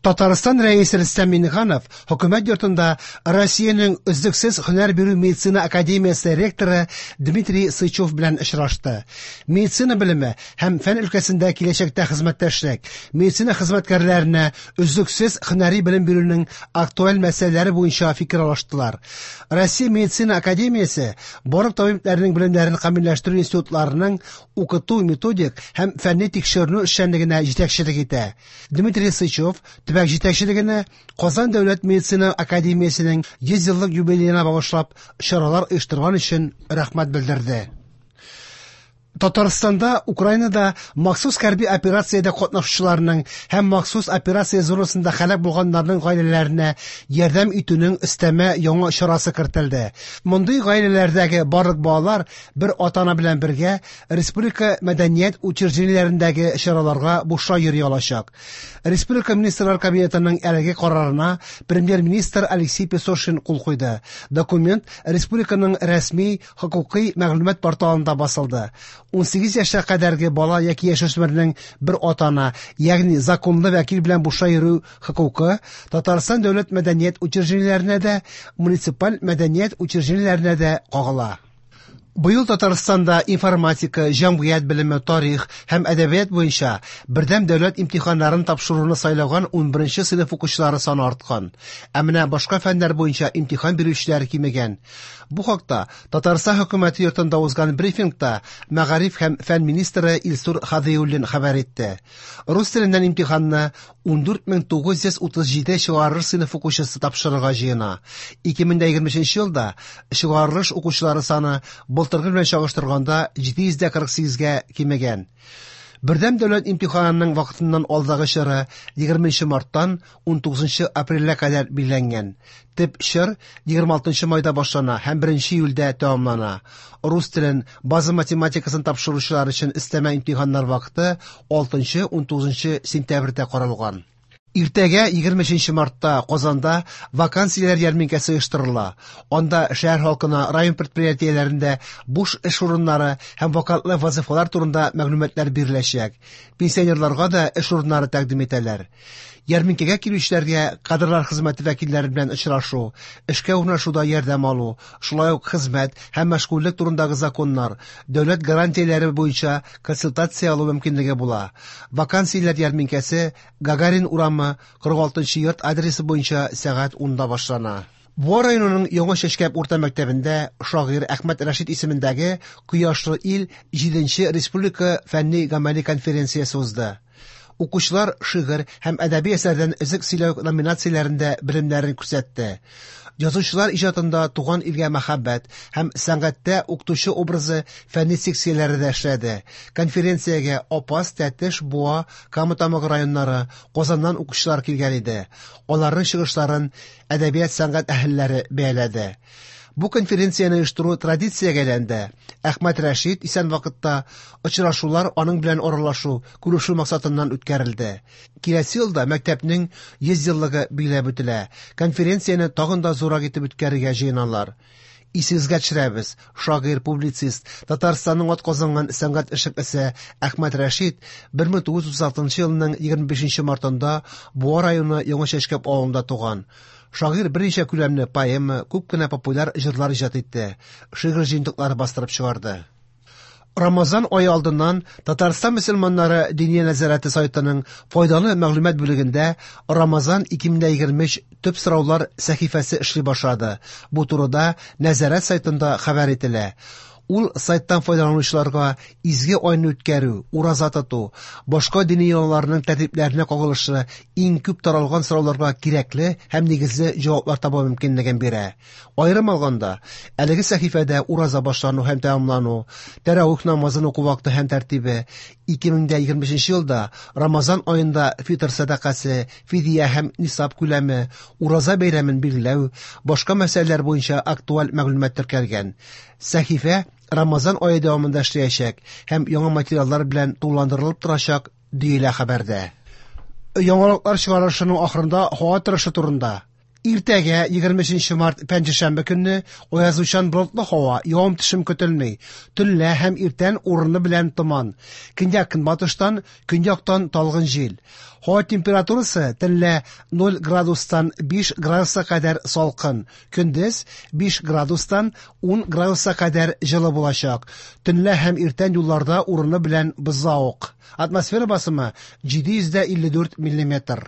Татарстан Рәисе Рөстәм Миңнеханов Хөкүмәт йортында Россиянең өзлексез һөнәр бирү медицина академиясе ректоры Дмитрий Сычев белән очрашты. Медицина белеме һәм фән өлкәсендә киләчәктә хезмәттәшлек, медицина хезмәткәрләренә өзлексез һөнәри белем бирүнең актуаль мәсьәләләре буенча фикер алыштылар. Россия медицина академиясе барлык табибләрнең белемнәрен камилләштерү институтларының укыту методик һәм фәнни тикшеренү эшчәнлегенә җитәкчелек итә. Дмитрий Сычев төбәк җитәкчелегенә Казан дәүләт медицина академиясенең 100 еллык юбилеена багышлап чаралар оештырган өчен рәхмәт белдерде. Татарстанда Украинада махсус хәрби операциядә катнашучыларның һәм махсус операция зонасында һәлак булганнарның гаиләләренә ярдәм итүнең өстәмә яңа чарасы кертелде. Мондый гаиләләрдәге барлык балалар бер ата-ана белән бергә республика мәдәният учреждениеләрендәге чараларга бушлай йөри алачак. Республика Министрлар Кабинетының әлеге карарына премьер-министр Алексей Песошин кул куйды. Документ республиканың рәсми хокукый мәгълүмат порталында басылды. 18 яшькә кадәрге бала яки яшүсмернең бер ата-ана, ягъни законлы вәкил белән бушлай йөрү хокукы Татарстан дәүләт мәдәният учреждениеләренә дә, муниципаль мәдәният учреждениеләренә дә кагыла. Быел Татарстанда информатика, җәмгыять белеме, тарих һәм әдәбият буенча бердәм дәүләт имтиханнарын тапшыруны сайлаган 11 сыйныф укучылары саны арткан. Ә менә башка фәннәр буенча имтихан бирүчеләр кимегән. Бу хакта Татарстан хөкүмәте йортында узган брифингта мәгариф һәм фән министры Илсур Һадиуллин хәбәр итте. Рус теленнән имтиханны 14937 чыгарылыш сыйныф укучысы тапшырырга җыена. 2023 елда чыгарылыш укучылары саны былтыргы белән чагыштырганда 748-гә кимегән. Бердәм дәүләт имтиханының вакытыннан алдагы чоры 20 марттан 19 апрельгә кадәр билгеләнгән. Төп чор 26 майда башлана һәм 1 июльдә тәмамлана. Рус телен, база математикасын тапшыручылар өчен өстәмә имтиханнар вакыты 6-19 сентябрьдә каралган. Иртәгә 23 мартта Казанда вакансияләр ярминкәсе оештырыла. Анда шәһәр халкына район предприятиеләрендә буш эш урыннары һәм вакантлы вазифалар турында мәгълүматлар биреләчәк. Пенсионерларга да эш урыннары тәкъдим итәләр. Ярминкәгә килүчеләргә кадрлар хезмәте вәкилләре белән очрашу, эшкә урнашуда ярдәм алу, шулай ук хезмәт һәм мәшгульлек турындагы законнар, дәүләт гарантияләре буенча консультация алу мөмкинлеге була. Вакансияләр ярминкәсе Гагарин урамы 46 йорт адресы буенча сәгать 10-да башлана. Буа районының Яңа Чәчкәп урта мәктәбендә шагыйрь Әхмәт Рәшит исемендәге Кояшлы ил 7 республика фәнни-гамәли конференциясе узды. Укучылар шигырь һәм әдәби әсәрдән өзек сөйләү номинацияләрендә белемнәрен күрсәтте. Язучылар иҗатында туган илгә мәхәббәт һәм сәнгатьтә укытучы образы фәнни секцияләре дә эшләде. Конференциягә Апас, Тәтеш, Буа, Кама Тамагы районнары, Казаннан укучылар килгән иде. Аларның чыгышларын әдәбият сәнгать әһелләре бәяләде. Бу конференцияне оештыру традициягә әйләнде. Әхмәт Рәшит исән вакытта очрашулар аның белән аралашу, күрешү максатыннан үткәрелде. Киләсе елда мәктәпнең 100 еллыгы билгеләп үтелә. Конференцияне тагын да зуррак итеп үткәрергә җыеналар. Исегезгә төшерәбез, шагыйрь, публицист, Татарстанның атказанган сәнгать эшлеклесе Әхмәт Рәшит 1936 елның 25 мартында Буа районы Яңа Чәчкәп авылында туган. Шагыйрь берничә күләмле поэма, күп кенә популяр җырлар иҗат итте, шигырь җыентыклары бастырып чыгарды. Рамазан ае алдыннан Татарстан мөселманнары Диния нәзарәте сайтының файдалы мәгълүмат бүлегендә Рамазан 2023 төп сораулар сәхифәсе эшли башлады. Бу турыда нәзарәт сайтында хәбәр ителә. Ул сайттан файдаланучыларга изге айны үткәрү, ураза тоту, башка дини йолаларның тәртипләренә кагылышлы иң күп таралган сорауларга кирәкле һәм нигезле җаваплар табу мөмкинлеген бирә. Аерым алганда, әлеге сәхифәдә ураза башлану һәм тәмамлану, тәравих намазын уку вакыты һәм тәртибе, 2025 елда Рамазан аенда фитр сәдакасы, фидия һәм нисаб күләме, ураза бәйрәмен билгеләү, башка мәсьәләләр буенча актуаль мәгълүмат теркәлгән. Сәхифә Рамазан ае дәвамында эшләячәк һәм яңа материаллар белән тулыландырылып торачак, диелә хәбәрдә. Яңалыклар чыгарылышының ахырында һава торышы турында. Иртәгә, 23 март, пәнҗешәмбе көнне, аязучан болытлы һава, явым-төшем көтелми. Төнлә һәм иртән урыны белән томан. Көньяк-көнбатыштан, көньяктан талгын җил. Һава температурасы төнлә 0 градустан 5 градуска кадәр салкын, көндез 5 градустан 10 градуска кадәр җылы булачак. Төнлә һәм иртән юлларда урыны белән бозлавык. Атмосфера басымы 754 миллиметр.